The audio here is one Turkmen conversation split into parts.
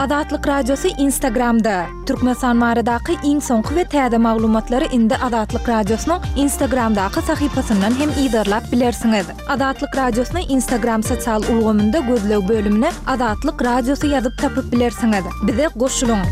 Azatlyk Radiosy Instagramda! Türkmenistan baradaky iň soňky we täze maglumatlary indi Azatlyk Radiosynyň Instagramdaky sahypasyndan hem yzarlap bilersiňiz. Azatlyk Radiosyny Instagram sosial ulgamynda gözleg bölümine Azatlyk Radiosy ýazyp tapyp bilersiňiz. Bize goşulyň!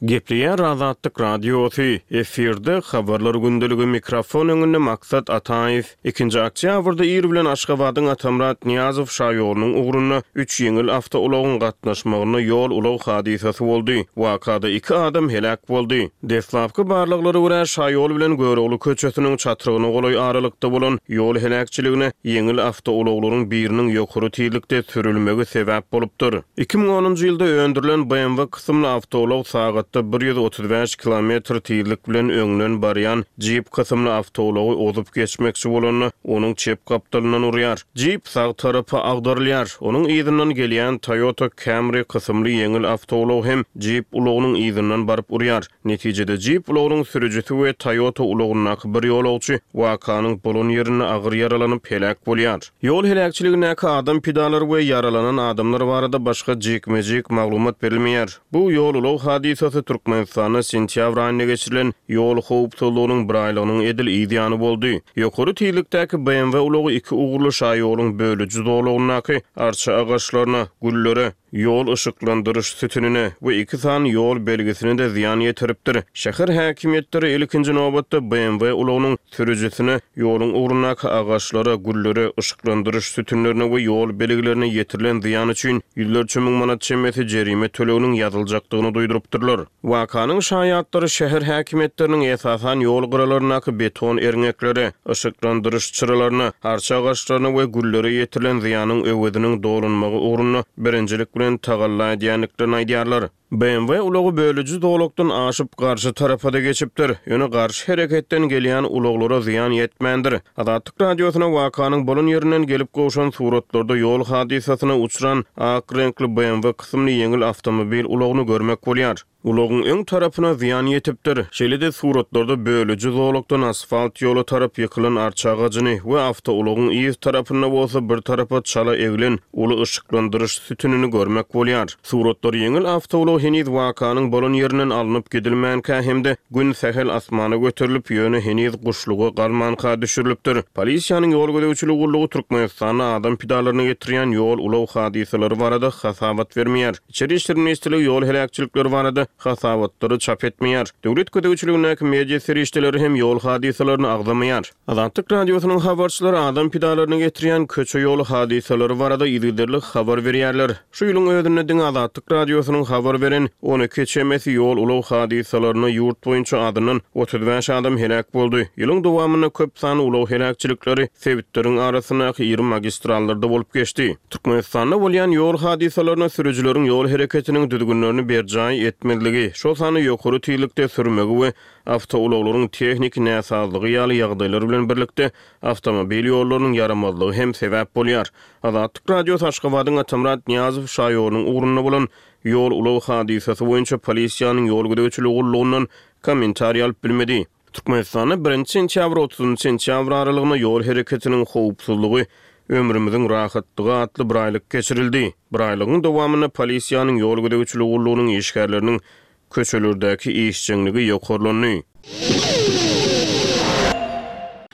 Gepleýär Azatlyk Radiosy, efirde Habarlar gündeligi, mikrofon öňünde Maksat Ataýew. Ikinji oktýabrda ir bilen Aşgabadyň Atamyrat Nyýazow şaýolunyň ugrunda üç ýeňil awtoulagyň gatnaşmagynda ýol-ulag hadysasy boldy. Wakada iki adam heläk boldy. Deslapky barlaglara görä, şaýol bilen Görogly köçesiniň çatrygyna golaý aralykda bolan ýol heläkçiligine ýeňil awtoulaglaryň biriniň ýokary tizlikde sürülmegi sebäp bolupdyr. 2010-njy ýylda öndürilen BMW kysymly awtoulag sagatda 135 kilometr tizlik bilen öňden barýan Jeep kysymly awtoulagy ozup geçmekçi bolanda, onuň çep gapdalyndan urýar. Jeep sag tarapa agdarylýar. Onuň yzyndan gelýän Toyota Camry kysymly ýeňil awtoulag hem Jeep ulagynyň yzyndan baryp urýar. Netijede Jeep ulagynyň sürüjisi we Toyota ulagyndaky bir ýolagçy wakanyň bolan ýerinde agyr ýaralanyp heläk bolýar. Ýol heläkçiligindäki adam pidalary we ýaralanan adamlar barada başga jikme-jik maglumat berilmeýär. Bu ýol-ulag hadysasy Türkmenistanda sentýabr aýynda geçirilen ýol howpsuzlygynyň biraýlygynyň edil yz ýany boldy. Ýokary tizlikdäki BMW ulagy iki ugurly şaýoluň bölüji zolagyndaky arça agaçlaryna, güllere, ýol yşyklandyryş sütünine we iki sany ýol belgisine-de zyýan ýetiripdir. Şäher häkimiýetleri ilkinji nobatda BMW ulagynyň sürüjisine ýoluň ugrundaky agaçlara, güllere, yşyklandyryş sütünlerine we ýol belgilerine ýetirilen zyýan üçin ýüzlerçe müň manat çemesi jerime töleginiň ýazyljakdygyny duýdurypdyrlar. Wakanyň şaýatlary şäher häkimiýetleriniň esasan ýol gyralaryndaky beton erňeklere, yşyklandyryş çyralaryna, arça agaçlaryna we güllere ýetirilen zyýanyň öweziniň dolunmagy ugrunda birinjilik bilen tagalla edýändiklerini aýdýarlar. BMW ulagy bölüji zolakdan aşyp, garşy tarapa-da geçipdir. Ýöne garşy hereketden gelýän ulaglara zyýan ýetmändir. Azatlyk Radiosyna wakanyň bolan ýerinden gelip gowşan suratlarda ýol hadysasyna uçran ak reňkli BMW kysymly ýeňil awtomobil ulagyny görmek bolýar. Ulagyň öň tarapyna zyýan ýetipdir. Şeýle-de suratlarda bölüji zolakdan asfalt ýola tarap ýykylan arça agajyny we awtoulagyň yz tarapynda bolsa bir tarapa çala eglen uly yşyklandyryş sütünini görmek bolýar. Suratlar ýeňil awtoulag heniz wakanyň bolan ýerinden alnyp gidilmänkä hem-de gün sähel asmana göterilip, ýöne heniz guşluga galmanka düşürilipdir. Polisiýanyň ýol gözegçiligi gullugy Türkmenistanda adam pidalaryna getirýän ýol-ulag hadysalary barada hasabat bermeýär. Içeri işler ministrligi ýol heläkçilikleri barada hasabatlary çap etmeýär. Döwlet gözegçiligindäki media serişdeleri hem ýol hadysalaryny agzamaýar. Azatlyk Radiosynyň habarçylary adam pidalaryna getirýän köçe-ýol hadysalary barada yzygiderli habar berýärler. Şu ýylyň özünde diňe Azatlyk Radiosynyň habar beren 12 çemesi ýol-ulag hadysalarynda ýurt boýunça azyndan 35 adam heläk boldy. Ýylyň dowamynda köp sanly ulag heläkçilikleri sebitleriň arasyndaky iri magistrallarda bolup geçdi. Türkmenistanda bolýan ýol hadysalaryna sürüjileriň ýol hereketiniň düzgünlerini berjaý etmezligi, şol sanda ýokary tizlikde sürmegi we awtoulaglaryň tehniki näsazlygy ýaly ýagdaýlar bilen birlikde awtomobil ýollarynyň ýaramazlygy hem sebäp bolýar. Azatlyk Radiosy Aşgabadyň Atamyrat Nyýazow şaýolunyň ugrunda bolan ýol-ulag hadysasy boýunça polisiýanyň ýol gözegçiligi gullugyndan kommentariý alyp bilmedi. Türkmenistanda birinji sentýabr, otuzynjy sentýabr aralygynda ýol hereketiniň howpsuzlygy, ömrümiziň rahatlygy atly biraýlyk geçirildi. Biraýlygyň dowamynda polisiýanyň ýol gözegçiligi gullugynyň işgärleriniň köçelerdäki işjeňligi ýokarlandy.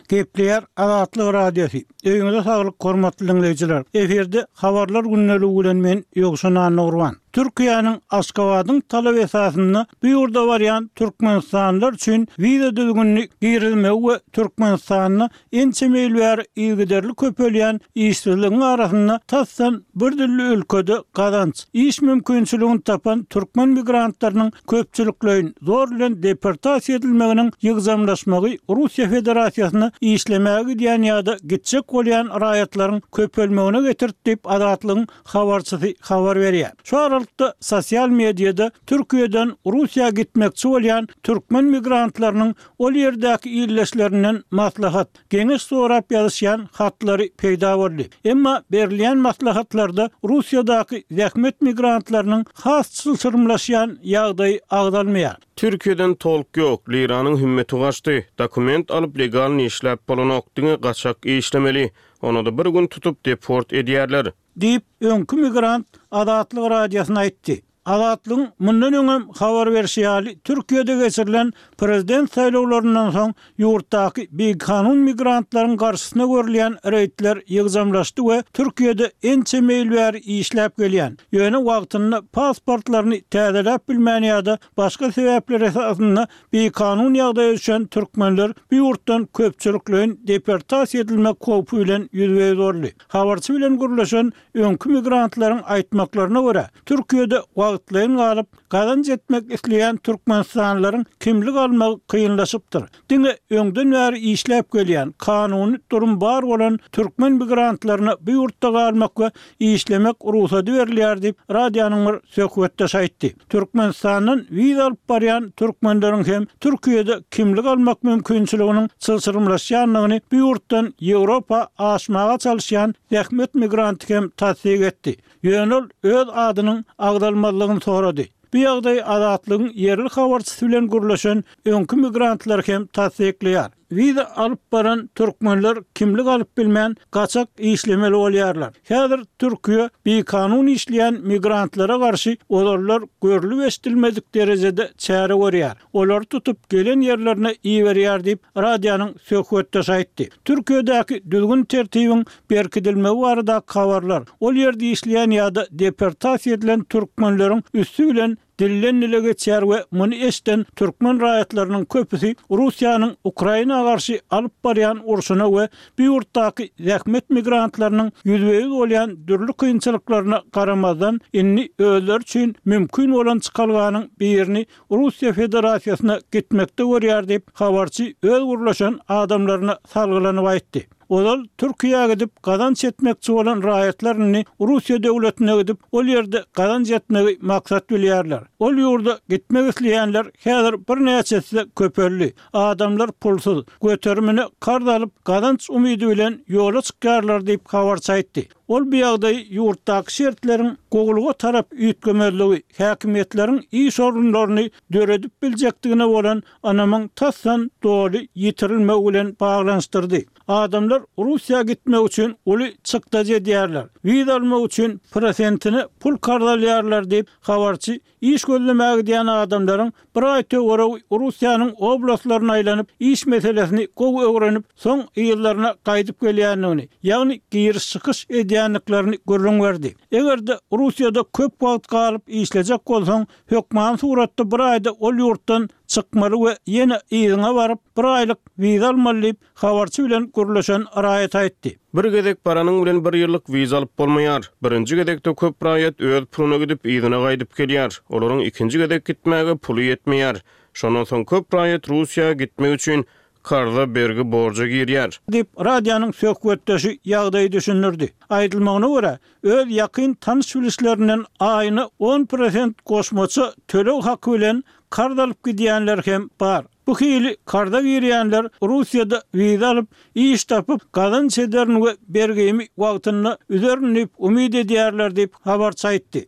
Gepleýär Azatlyk Radiosy. Öýüňize saglyk hormatly diňleýjiler. Efirde Habarlar gündeligi bilen men Ýowşan Annagurban. Türkiýäniň Aşgabadyň talaby esasynda bu ýurda barýan türkmenistanlylar üçin wiza düzgünini girizmegi we Türkmenistanda ençeme ýyl bäri yzygiderli köpelýän işsizligiň arasynda tasdan bir dilli ülkede gazanç, iş mümkinçiligini tapan türkmen migrantlarynyň köpçülikleýin zor bilen deportasiýa edilmeginiň ýygjamlaşmagy Russiýa Federasiýasyna işlemäge gidýän ýa-da gitjek bolýan raýatlaryň köpelmegine getirdi diýip, Azatlygyň habarçysy habar berýär. Şu aralykda. aralykda, sosial mediada Türkiýeden Russiýa gitmekçi bolýan türkmen migrantlarynyň ol ýerdäki ildeşlerinden maslahat, geňeş sorap ýazyşýan hatlary peýda boldy. Emma berilýän maslahatlarda Russiýadaky zähmet migrantlarynyň has çylşyrymlaşýan ýagdaýy agzalmaýar. Türkiýeden tolk ýok, liranyň hümmeti gaçdy, dokument alyp legalny işläp bolanok, diňe gaçak işlemeli, onada bir gün tutup deport edýärler. Diýip, öňki migrant Azatlyk Radiosyna aýtdy. Azatlygyň mundan öňem habar berşi ýaly, Türkiýede geçirilen prezident saýlawlaryndan soň ýurtdaky bikanun migrantlaryň garşysyna görülýän reýdler ýygjamlaşdy we Türkiýede ençeme ýyl bäri işläp gelýän, ýöne wagtynda pasportlaryny täzeläp bilmän ýa-da başga sebäpler esasynda bikanun ýagdaýa düşen türkmenler bu ýurtdan köpçülikleýin deportasiýa edilmek howpy bilen ýüzbe-ýüz boldy. Habarçy bilen gürleşen öňki migrantlaryň aýtmaklaryna görä, Türkiýede wagtlaýyn galyp, gazanç etmek isleýän türkmenistanlylaryň kimlik almagy kynlaşypdyr. Diňe öňden bäri işläp gelýän, kanuny durum bar bolan türkmen migrantlaryna bu ýurtda galmak we işlemek rugsady berilýär diýip, radionyň bir söhbetdeşi aýtdy. Türkmenistandan wiza alyp barýan türkmenleriň hem Türkiýede kimlik almak mümkinçiliginiň çylşyrymlaşýandygyny bu ýurtdan Ýewropa aşmaga çalyşýan zähmet migranty hem tassyk etdi. Ýöne ol öz adynyň agzalmazlygyny sorady. Bu ýagdaýy Azatlygyň ýerli habarçysy bilen gürleşen öňki migrantlar hem tassyklaýar. Wiza alyp baran türkmenler kimlik alyp bilmän, gaçak işlemeli bolýarlar. Häzir Türkiýe bikanun işleýän migrantlara garşy ozallar görlüp-eşidilmedik derejede çäre görýär. Olary tutup gelen ýerlerine iberýär diýip, radionyň söhbetdeşi aýtdy. Türkiýedäki düzgün-tertibiň berkidilmegi baradaky habarlar, ol ýerde işleýän ýa-da deportasiýa edilen türkmenleriň üsti bilen dilden-dile geçýär we muny eşiden türkmen raýatlarynyň köpüsi Russiýanyň Ukraina garşy alyp barýan urşuna we bu ýurtdaky zähmet migrantlarynyň ýüzbe-ýüz bolýan dürli kynçylyklaryna garamazdan, indi özleri üçin mümkin bolan çykalganyň birini Russiýa Federasiýasyna gitmekde görýär diýip, habarçy öz gürleşen adamlaryna salgylanyp aýtdy. Ozal Türkiýä gidip gazanç etmekçi bolan raýatlar indi Russiýa döwletine gidip, ol ýerde gazanç etmegi maksat bilýärler. Ol ýurda gitmek isleýänler häzir birnäçe esse köpeldi. Adamlar pulsuz, göterimine karz alyp, gazanç umydy bilen ýola çykýarlar diýip, habarçy aýtdy. Ol bu ýagdaýy ýurtdaky şertleriň gowulyga tarap üýtgemezligi, häkimiýetleriň iş orunlaryny döredip biljekdigine bolan ynamyň tasdan doly ýitirilmegi bilen baglanyşdyrdy. Adamlar Russiýa gitmek üçin uly çykdajy edýärler, wiza almak üçin prosentine pul karz alýarlar diýip, habarçy iş gözlemäge gidýän adamlaryň bir aý töweregi Russiýanyň oblastlaryna aýlanyp, iş meselesini gowy öwrenip, soň yzlaryna gaýdyp gelýändigini, ýagny giriş-çykyş edýändiklerini gürrüň berdi. Eger-de Russiýada köp wagt galyp işlejek bolsaň, Hökmany suratda bir aýda ol ýurtdan çykmaly we ýene yzyňa baryp, bir aýlyk wiza almaly diýip, habarçy bilen gürleşen raýat aýtdy. Bir gezek baranyň bilen bir ýyllyk wiza alyp bolmaýar. Birinji gezekde köp raýat öz puluna gidip, yzyna gaýdyp gelýär. Olaryň ikinji gezek gitmäge puly ýetmeýär. Şondan soň köp raýat Russiýa gitmek üçin karza, bergi, borja girýär. Diýip, radionyň söhbetdeşi ýagdaýy düşündirdi. Aýdylmagyna görä, öz ýakyn tanyş-bilişlerinden aýyna on prosent goşmaça töleg haky bilen karz alyp gidýänler hem bar. Bu hili karza girýänler Russiýada wiza alyp, iş tapyp, gazanç ederin we bergimi wagtynda üzerin diýip umyt edýärler diýip, habarçy aýtdy.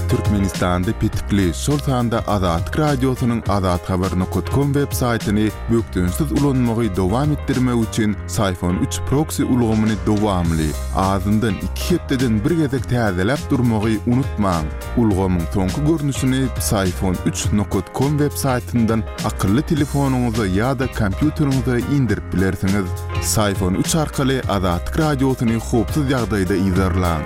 Türkmenistanda petikli, şol sanda Azatlyk Radiosynyň azathabar nokat kom web saýtyny bökdençsiz ulanmagy dowam etdirmek üçin Syphon üç proksi ulgamyny dowamly, azyndan iki hepdeden bir gezek täzeläp durmagy unutmaň. Ulgamyň soňky görnüşini Psiphon üç nokat kom web saýtyndan akylly telefonyňyza ýa-da kompýuteriňize indirip bilersiňiz. Syphon üç arkaly Azatlyk Radiosyny howpsuz ýagdaýda yzarlaň.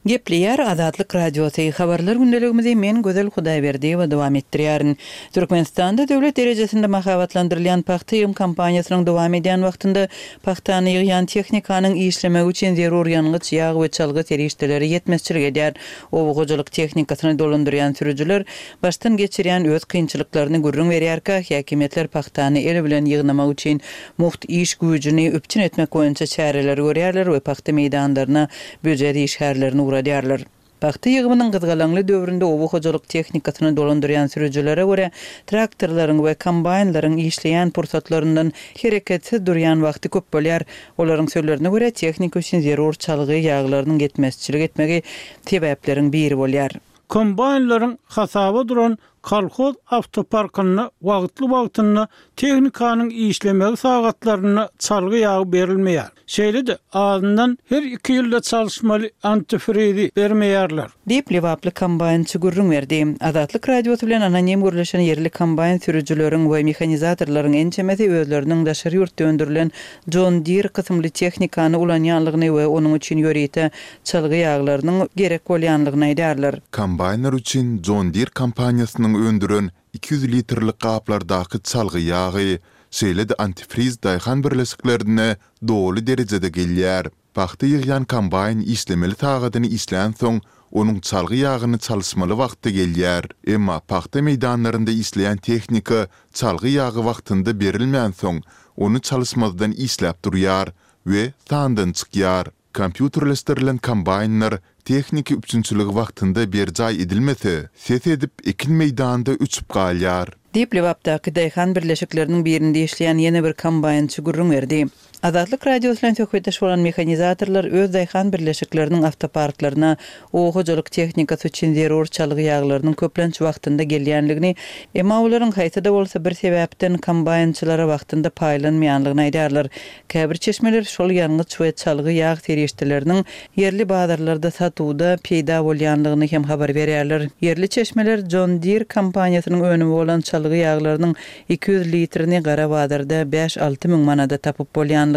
Gepleýär Azatlyk Radiosy, Habarlar gündeligimizi men Gözel Hudaýberdiýewa dowam etdirýärin. Türkmenistanda döwlet derejesinde mahabatlandyrylýan pagta ýygym kampaniýasynyň dowam edýän wagtynda pagtany ýygýan tehnikanyň işlemegi üçin zerur ýangyç, ýag we çalgy serişdeleri ýetmezçilik edýär. Oba hojalyk tehnikasyny dolandyrýan sürüjiler başdan geçirýän öz kynçylyklaryny gürrüň berýärkä, häkimiýetler pagtany el bilen ýygnamak üçin mugt iş güýjüni üpjün etmek boýunça çäreleri görýärler we pagta meýdanlaryna býujet işgärlerini ugradýarlar. Pagta ýygymynyň gyzgalaňly döwründe oba hojalyk tehnikasyny dolandyrýan sürüjilere görä, traktorlaryň we kombaýnlaryň işleýän pursatlaryndan hereketsiz durýan wagty köp bolýar. Olaryň sözlerine görä, tehnika üçin zerur çalgy ýaglarynyň ýetmezçilik etmegi sebäpleriň biri bolýar. Kombaýnlaryň hasaba duran Kolhoz awtoparkynda wagtly-wagtynda tehnikanyň işlemegi sagatlarynda çalgy ýagy berilmeýär. Şeýle-de, azyndan her iki ýylda çalyşmaly antifrizi bermeýärler. Diýip, lebaply kombaýnçy gürrüň berdi. Azatlyk Radiosy bilen anonim gürleşen ýerli kombaýn sürüjileriň we mehanizatorlaryň ençemesi özleriniň daşary ýurtda öndürilen John Deere kysymly tehnikany ulanýanlygyny we onuň üçin ýörite çalgy ýaglarynyň gerek bolýanlygyny aýdýarlar. Kombaýnlar üçin John Deere kompaniýasynyň öndüren 200 litrlik gaplardaky çalgy ýagy, şeýle-de antifriz daýhan birleşiklerine doly derejede gelýär. Pagta ýygýan kombaýn işlemeli sagadyny işlänsoň, onuň çalgy ýagyny çalyşmaly wagty gelýär. Emma pagta meýdanlarynda işleýän tehnika çalgy ýagy wagtynda berilmänsoň, ony çalyşmazdan işläp durýar we sandan çykýar. Kompýuterleşdirilen kombaýnlar tehniki üpjünçiligi wagtynda berjaý edilmese, ses edip, ekin meýdanda öçüp galýar. Diýip, Lebapdaky daýhan birleşikleriniň birinde işleýän ýene bir kombaýnçy gürrüň berdi. Azatlyk Radiosy bilen söhbetdeş bolan mehanizatorlar öz daýhan birleşikleriniň awtoparklaryna oba hojalyk tehnikasy üçin zerur çalgy ýaglarynyň köplenç wagtynda gelýänligini, emma olaryň haýsy-da bolsa bir sebäpden kombaýnçylara wagtynda paýlanmaýanlygyny aýdýarlar. Käbir çeşmeler şol ýangyç we çalgy ýag serişdeleriniň ýerli bazarlarda satuwda peýda bolýanlygyny hem habar berýärler. Ýerli çeşmeler John Deere kompaniýasynyň önümi bolan çalgy ýaglarynyň 200 litrini gara bazarda bäş-alty müň manada tapyp bolýanlygyny,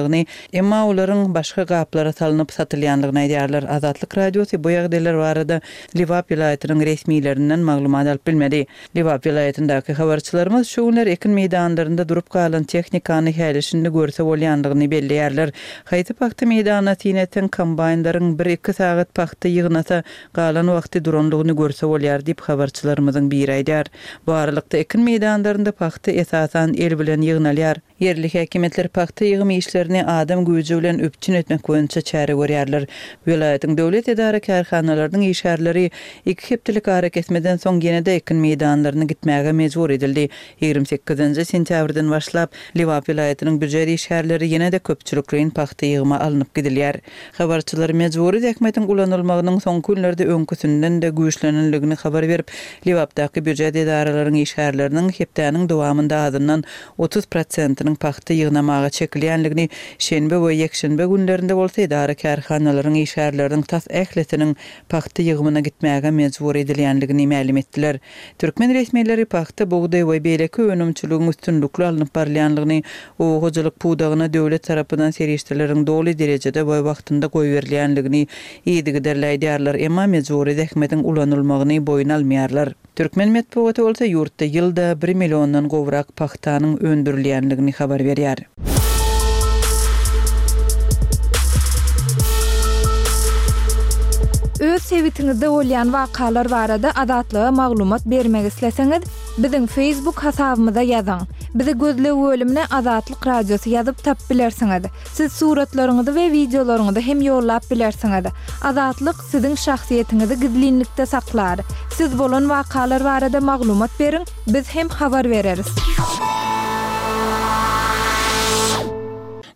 emma olaryň başga gaplara salnyp satylýanlygyny aýdýarlar. Azatlyk Radiosy bu ýagdaýlar barada Lebap welaýatynyň resmilerinden maglumat alyp bilmedi. Lebap welaýatyndaky habarçylarymyz şu günler ekin meýdanlarynda durup galan tehnikany häli-şindi görse bolýandygyny belleýärler. Haýsy pagta meýdanyna syn etseň, kombaýnlaryň bir-iki sagat pagta ýygnasa, galan wagty duranlygyny görse bolýar diýip, habarçylarymyzyň biri aýdýar. Bu aralykda, ekin meýdanlarynda pagta esasan el bilen ýygnalýar. Ýerli häkimiýetler pagta ýygym işlerini adam güýji bilen üpjün etmek boýunça çäre görýärler. Welaýatyň döwlet edara-kärhanalarynyň işgärleri iki hepdelik arakesmeden soň ýene-de ekin meýdanlaryna gitmäge mejbur edildi. Ýigrimi sekizinji sentýabrdan başlap, Lebap welaýatynyň býujet işgärleri ýene-de köpçülikleýin pagta ýygyma alnyp gidilýär. Habarçylar mejbury zähmetiň ulanylmagynyň soňky günlerde öňküsinden-de güýçlenenligini habar berip, Lebapdaky býujet edaralaryň işgärleriniň hepdäniň dowamynda azyndan 30 prosentiniň pagta ýygnamaga çekilýänligini, şenbe we ýekşenbe günlerinde bolsa edara-kärhanalaryň işgärleriniň tas ählisiniň pagta ýygymyna gitmäge mejbur edilýänligini mälim etdiler. Türkmen resmileri pagta, bugdaý we beýleki önümçiligiň üstünlikli alnyp barylýanlygyny, oba hojalyk pudagyna döwlet tarapyndan serişdeleriň doly derejede we wagtynda goýberilýänligini yzygiderli aýdýarlar, emma mejbury zähmetiň ulanylmagyny boýun almaýarlar. Türkmen metbugaty bolsa ýurtda ýylda bir milliondan gowrak pagtanyň öndürilýänligini habar berýär. Öz sebitiňizde bolýan wakalar barada Azatlyga maglumat bermek isleseňiz, biziň Facebook hasabymyza ýazyň. Bizi gözleg bölümine Azatlyk Radiosy ýazyp tapyp bilersiňiz. Siz suratlaryňyzy we wideolaryňyzy hem ýollap bilersiňiz. Azatlyk siziň şahsyýetiňizi gizlinlikde saklar. Siz bolan wakalar barada maglumat beriň, biz hem habar bereris.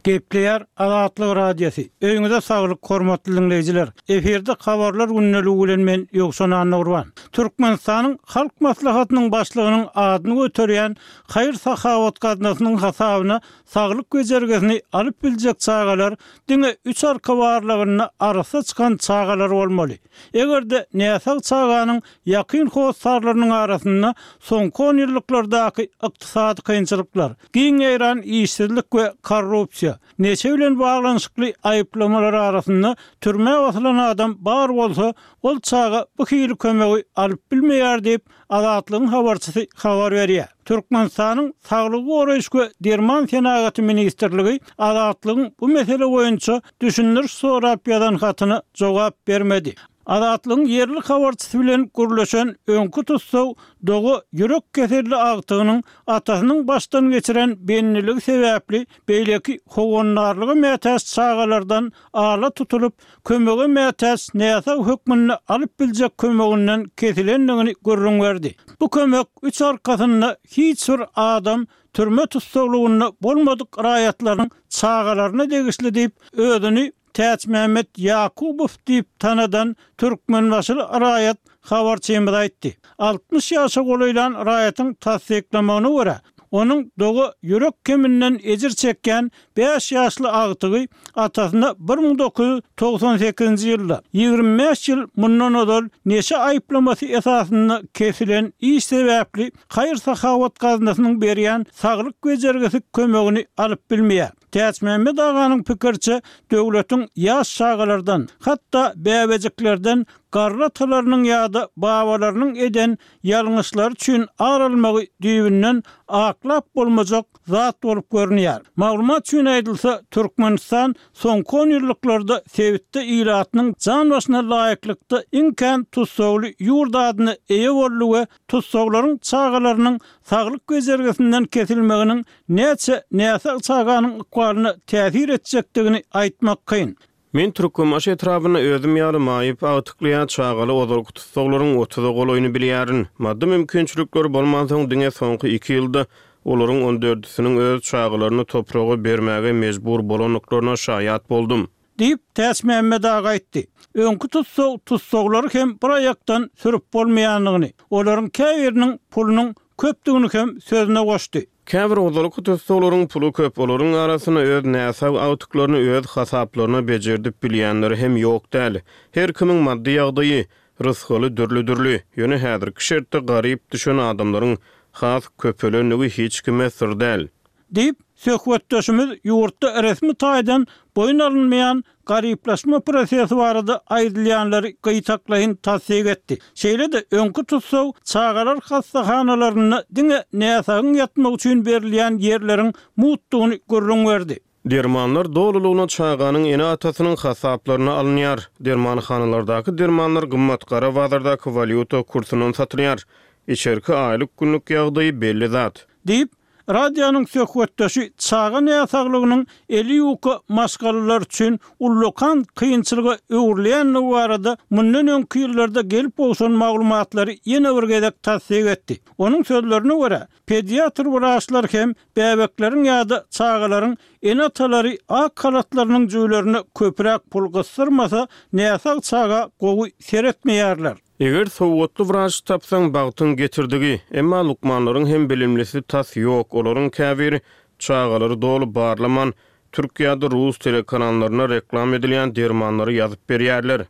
Gepleýär Azatlyk Radiosy. Öýüňize saglyk hormatly diňleýjiler. Efirde habarlar gündeligi bilen men Ýowşan Annagurban. Türkmenistanyň Halk Maslahatynyň Başlygynyň adyny göterýän haýyr-sahawat gaznasynyň hasabyna Saglyk bejergisini alyp biljek çagalar diňe üç arka barlagynda arassa çykan çagalar bolmaly. Eger-de näsag çaganyň ýakyn hossarlarynyň arasynda soňky onýyllyklardaky ykdysady kynçylyklar, giň ýaýran işsizlik we korrupsiýa. görä, neşe bilen baglanyşykly aýyplamalar arasynda türmä basylan adam bar bolsa, ol çaga bu hili kömegi alyp bilmeýär diýip, Azatlygyň habarçysy habar berýär. Türkmenistanyň Saglygy goraýyş we derman senagaty ministrligi Azatlygyň bu mesele boýunça düşündiriş sorap ýazan hatyna jogap bermedi. Azatlygyň ýerli habarçysy bilen gürleşen öňki tussag doga ýürek keselli agtygynyň atasynyň başdan geçiren bendiligi sebäpli beýleki howandarlyga mätäç çagalardan ala tutulyp, kömege mätäç näsag hökmünde alyp biljek kömeginden kesilendigini gürrüň berdi. Bu kömek üç arkasynda hiç bir adam türme tussaglygynda bolmadyk raýatlaryň çagalaryna degişli diýip, özüni Täçmämmet Ýakubow diýip tanadan türkmenbaşyly raýat habarçymyza aýtdy. 60 ýaşa golaýlan raýatyň tassyklamagyna görä, onuň doga ýürek keminden ejir çekýän bäş ýaşly agtygy atasyna 1998-nji ýylda, 25 ýyl mundan ozal neşe aýyplamasy esasynda kesilen iş sebäpli haýyr-sahawat gaznasynyň berýän saglyk bejergisi kömegini alyp bilmeýär. Täçmämmet aganyň pikiriçe, döwletiň ýaş çagalardan, hatda bäbejiklerden garry atalarynyň ýa-da babalarynyň eden ýalňyşlary üçin ar almagy düýbünden aklap bolmajak zat bolup görünýär. Maglumat üçin aýdylsa, Türkmenistan soňky onýyllyklarda sebitde ilatynyň jan başyna laýyklykda iň kän tussagly ýurt adyna eýe boldy we tussaglaryň çagalarynyň saglyk bejergisinden kesilmeginiň Näçe näsag çaganyň ykbalyna täsir etjekdigini aýtmak kyn. Men Türkmenbaşy etrabynda özüm ýaly maýyp, agtykly ýa çagaly ozalky tussaglaryň otuza golaýyny bilýärin. Maddy mümkinçilikleri bolmansoň diňe soňky iki ýylda olaryň on dördüsiniň öz çagalaryny topraga bermäge mejbur bolandyklaryna şaýat boldum. Diýip, Täçmämmet aga aýtdy. Öňki tussag tussaglary hem bir aýakdan sürüp bolmaýandygyny, olaryň käbiriniň pulunyň köpdügini hem sözüne goşdy. Käbir ozalky tussaglaryň puly köp, olaryň arasynda öz näsag agtyklaryny öz hasaplaryna bejerdip bilýänleri hem ýok däl. Her kimiň maddy ýagdaýy, rysgaly dürli-dürli. Ýöne häzirki şertde garyp düşen adamlaryň has köpelendigi hiç kime syr däl. Diýip, söhbetdeşimiz ýurtda resmi taýdan boýun alynmaýan garyplaşma prosesi barada aýdylýanlary gytaklaýyn tassyk etdi. Şeýle-de, öňki tussag çagalar hassahanalarynda diňe näsagyň ýatmagy üçin berilýän ýerleriň mugtdugyny gürrüň berdi. Dermanlar dolulygyna çaganyň ene-atasynyň hasaplaryna alynýar. Dermanhanalardaky dermanlar gymmat, gara bazardaky walýuta kursundan satylýar. Içerki aýlyk-günlük ýagdaýy belli zat. Diýip, Radionyň söhbetdeşi çaga näsaglygynyň eli ýuka maşgalalar üçin ullakan kynçylyga öwrülýändigi barada mundan öňki ýyllarda gelip gowşan maglumatlary ýene bir gezek tassyk etdi. Onuň sözlerine görä, pediatr wraçlar hem bäbekleriň ýa-da çagalaryň ene-atalary ak halatlarynyň jübülerine köpräk pul gysdyrmasa, näsag çaga gowy seretmeýärler. Eger sowatly wraç tapsaň, bagtyň getirdigi. Emma lukmanlaryň hem bilimlisi tas ýok, olaryň käbiri çagalary doly barlaman, türk ýa-da rus telekanallarynda reklam edilýän dermanlary ýazyp berýärler.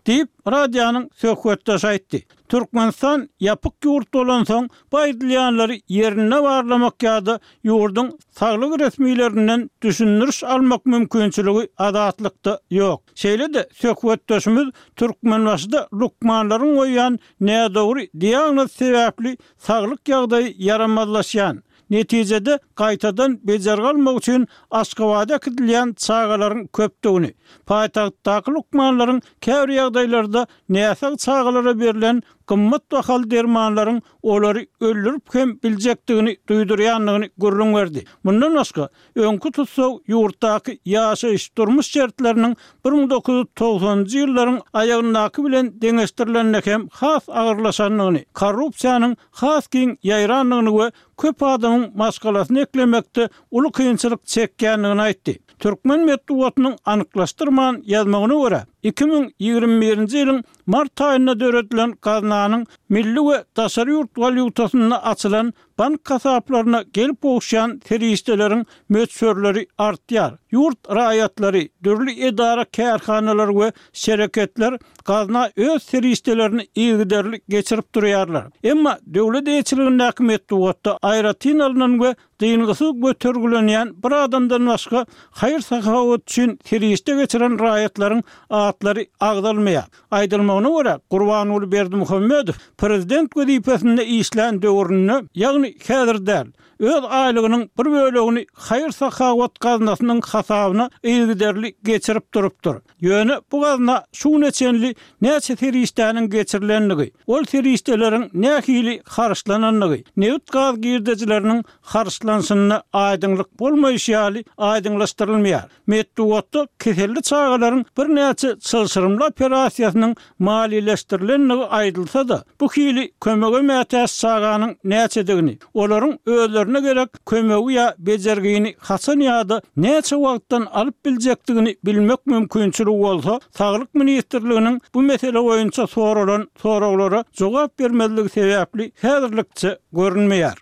Diýip, radionyň söhbetdeşi aýtdy. Türkmenistan ýapyk ýurt bolansoň, bu aýdylýanlary ýerinde barlamak ýa-da ýurduň saglyk resmilerinden düşündiriş almak mümkinçiligi Azatlykda ýok. Şeýle-de, söhbetdeşimiz Türkmenbaşyda lukmanlaryň goýýan nädogry diagnozy sebäpli saglyk ýagdaýy ýaramazlaşýan, netijede gaýtadan bejergi almak üçin Aşgabada äkidilýän çagalaryň köpdügini, paýtagtdaky lukmanlaryň käbir ýagdaýlarda näsag çagalara berlen gymmat bahaly dermanlaryň olary öldürip hem biljekdigini duýdurýandygyny gürrüň berdi. Mundan başga, öňki tussag ýurtdaky ýaşaýyş-durmuş şertleriniň 1990-njy ýyllaryň aýagyndaky bilen deňeşdirilende hem has agyrlaşandygyny, korrupsiýanyň has giň ýaýrandygyny we köp adamyň maşgalasyny eklemekde uly kynçylyk çekýändigini aýtdy. Türkmen metbugatynyň anyklaşdyrman ýazmagyna görä, 2021-nji ýylyň. Mart aýynda döredilen gaznanyň milli we daşary ýurt walýutasynda açylan bank hasaplaryna gelip gowuşýan serişdeleriň möçberleri artýar. Ýurt raýatlary, dürli edara-kärhanalar we şereketler gazna öz serişdelerini yzygiderli geçirip durýarlar. Emma döwlet eýeçiligindäki metbugatda aýratyn alnan we dyngysyz götergilenýän bir adamdan başga haýyr-sahawat üçin serişde geçiren raýatlaryň atlary agzalmaýar. Aýdylmagyna görä, Gurbanguly Berdimuhamedow prezident wezipesinde işlän döwründe, ýagny häzir däl, öz aýlygynyň bir bölegini haýyr-sahawat gaznasynyň hasabyna yzygiderli geçirip durupdyr. Ýöne bu gazna şu güne çenli näçe serişdäniň geçirilendigi, ol serişdeleriň nähili harçlanandygy, nebit-gaz girdejileriniň harçlanyşynda aýdyňlyk bolmaýşy ýaly aýdyňlaşdyrylmaýar. Metbugatda keselli çagalaryň birnäçe çylşyrymly operasiýasynyň maliýeleşdirilendigi aýdylsa-da, bu hili kömege mätäç çaganyň näçedigini, olaryň özlerine gerek kömegi ýa bejergini haçan ýa-da näçe wagtdan alyp biljekdigini bilmek mümkinçiligi bolsa, Saglyk ministrliginiň bu mesele boýunça soralan soraglara jogap bermezligi sebäpli häzirlikçe görünmeýär.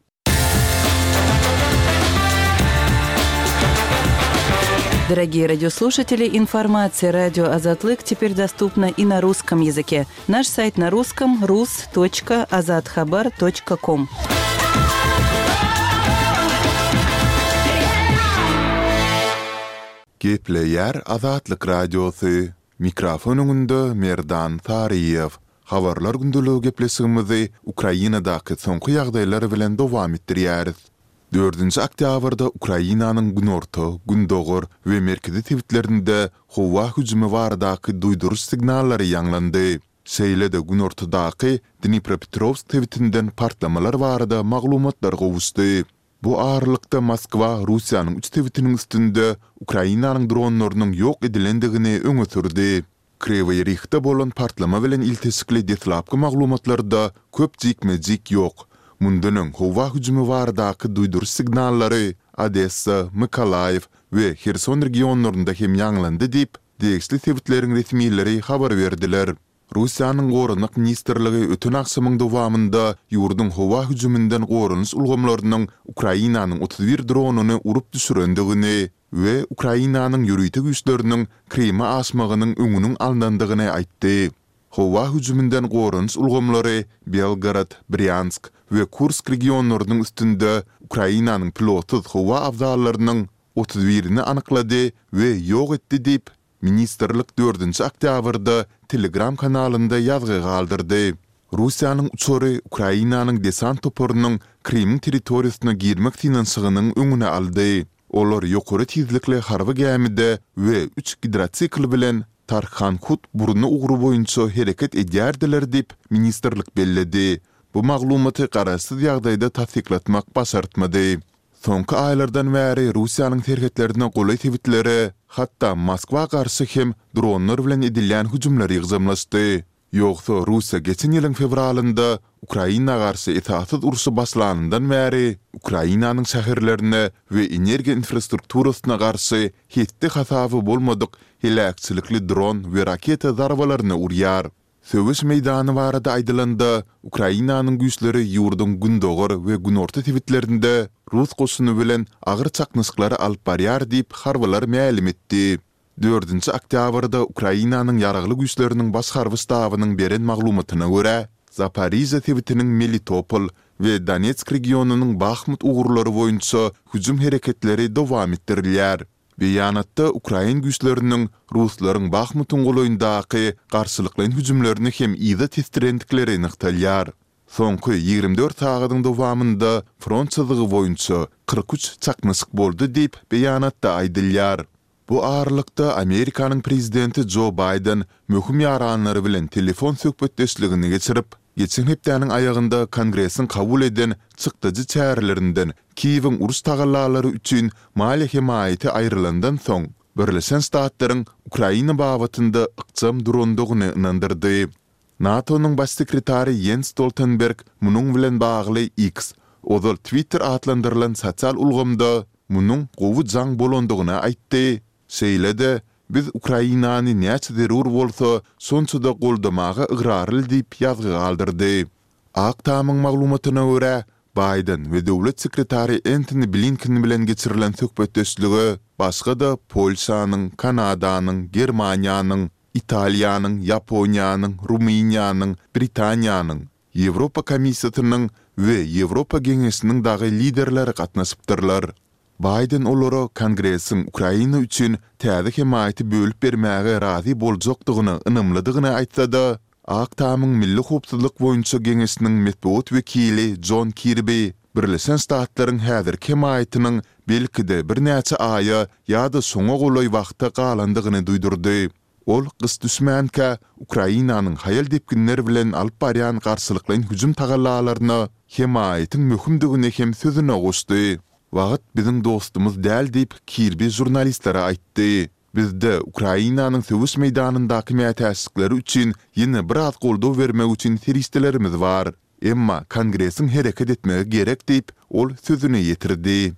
Дорогие радиослушатели, информация радио Азатлык теперь доступна и на русском языке. Наш сайт на русском rus.azathabar.com. Gepleýär Azatlyk Radiosy, Mikrofon öňünde Merdan Saryýew. Habarlar gündeligi gepleşigimizi Ukrainadaky soňky ýagdaýlar bilen dowam etdirýäris. Dördünji oktýabrda Ukrainanyň günorta, gündogar we merkezi sebitlerinde howa hüjümi baradaky duýduryş signallary ýaňlandy. Şeýle-de günortadaky Dnipropetrowsk sebitinden partlamalar barada maglumatlar gowuşdy. Bu aralykda Moskwa Russiýanyň üç sebitiniň üstünde Ukrainanyň dronlarynyň ýok edilendigini öňe sürdi. Kriwiý Rihde bolan partlama bilen ilteşikli deslapky maglumatlarda köp jikme-jik ýok. Mundan öň howa hüjümi baradaky duýduryş signallary Odessa, Mykolaýiw we Herson regionlarynda hem ýaňlandy diýip, degişli sebitleriň resmileri habar berdiler. Russiýanyň Goranmak ministrligi öten agşamyň dowamynda ýurduň howa hüjüminden goranyş ulgamlarynyň Ukrainanyň 31 dronyny urup düşürendigini we Ukrainanyň ýörite güýçleriniň Kryma aşmagynyň öňüniň alnandygyny aýtdy. Howa hüjüminden goranyş ulgamlary Belgorod, Brýansk we Kursk regionlarynyň üstünde Ukrainanyň pilotsyz howa abzallarynyň otuz birini anyklady we ýok etdi diýip, Ministrlik dördünji oktýabrda Telegram kanalynda ýazgy galdyrdy. Russiýanyň uçary Ukrainanyň desant toparynyň Krymyň territoriýasyna girmek synanyşygynyň öňüni aldy. Olar ýokary tizlikli harby gämide we üç gidrosikl bilen Tarkhankut burny ugry boýunça hereket edýärdiler diýip, ministrlik belledi. Bu maglumaty garaşsyz ýagdaýda tassyklatmak başartmady. Soňky aýlardan bäri Russiýanyň serhetlerine golaý sebitlere, hatda Moskwa garşy hem dronlar bilen edilýän hüjümler ýygjamlaşdy. Ýogsa Russiýa geçen ýylyň fewralynda Ukraina garşy esassyz urşy başlanyndan bäri Ukrainanyň şäherlerine we energiýa infrastrukturasyna garşy hetdi-hasaby bolmadyk heläkçilikli dron we raketa zarbalaryny urýar. Söweş meýdany barada aýdylanda, Ukrainanyň güýçleri ýurduň gündogar we günorta sebitlerinde rus goşuny bilen agyr çaknyşyklary alyp barýar diýip, harbylar mälim etdi. Dördünji oktýabrda Ukrainanyň Ýaragly Güýçleriniň Baş harby ştabynyň beren maglumatyna görä, Zaporižýa sebitiniň Melitopol we Donetsk regionynyň Bahmut ugurlary boýunça hüjüm hereketleri dowam etdirilýär. Beýanatda ukrain güýçleriniň ruslaryň Bahmutyň golaýyndaky garşylyklaýyn hüjümlerini hem yza tesdirendikleri nygtalýar. Soňky 24 sagadyň dowamynda front çyzygy boýunça 43 çaknyşyk boldy diýip, beýanatda aýdylýar. Bu aralykda, Amerikanyň prezidenti Jo Baýden möhüm ýaranlary bilen telefon söhbetdeşligini geçirip, geçen hepdäniň aýagynda Kongresiň kabul eden çykdajy çärelerinden Kiýewiň uruş tagallalary üçin maliýe hemaýaty aýrylandan soň, Birleşen Ştatlaryň Ukraina babatynda ykjam durandygyny ynandyrdy. NATO-nyň Baş sekretary Ýens Stoltenberg munuň bilen bagly X, ozal Twitter atlandyrylan sosial ulgamda munuň gowy jaň bolandygyny aýtdy, şeýle-de, Biz Ukrainany näçe zerur bolsa, şonça-da goldamaga ygrarly diýip ýazgy galdyrdy. Ak Tamyň maglumatyna görä, Baýden we döwlet sekretary Entoni Blinken bilen geçirilen söhbetdeşlige başga-da Polşanyň, Kanadanyň, Germaniýanyň, Italiýanyň, Ýaponiýanyň, Rumyniýanyň, Britaniýanyň, Ýewropa Komissiýasynyň we Ýewropa Geňeşiniň dagy liderleri gatnaşypdyrlar. Baýden olara Kongresiň Ukraina üçin täze hemaýaty bölüp bermäge razy boljakdygyna ynamlydygyny aýtsa-da, Ak Tamyň Milli howpsuzlyk boýunça geňeşiniň metbugat wekili Jon Kirbi Birleşen Ştatlaryň häzirki hemaýatynyň belki-de birnäçe aýa ýa-da şoňa golaý wagta galandygyny duýdurdy. Ol gyş düşmänkä Ukrainanyň haýal depginler bilen alyp barýan garşylyklaýyn hüjüm tagallalaryna hemaýatyň möhümdigini hem sözüne goşdy. Wagt biziň dostumyz däl diýip, Kirbi žurnalistlere aýtdy. Bizde Ukrainanyň söweş meýdanyndaky mätäçlikleri üçin ýene biraz goldaw bermek üçin serişdelerimiz bar. Emma Kongresiň hereket etmegi gerek diýip, ol sözüni ýetirdi.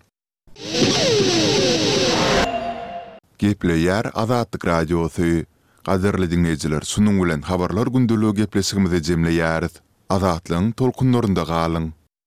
Gepleýär Azatlyk Radiosy. Gadyrly diňleýjiler şunuň bilen Habarlar gündeligi gepleşigimizi jemleýäris. Azatlygyň tolkunlarynda galyň!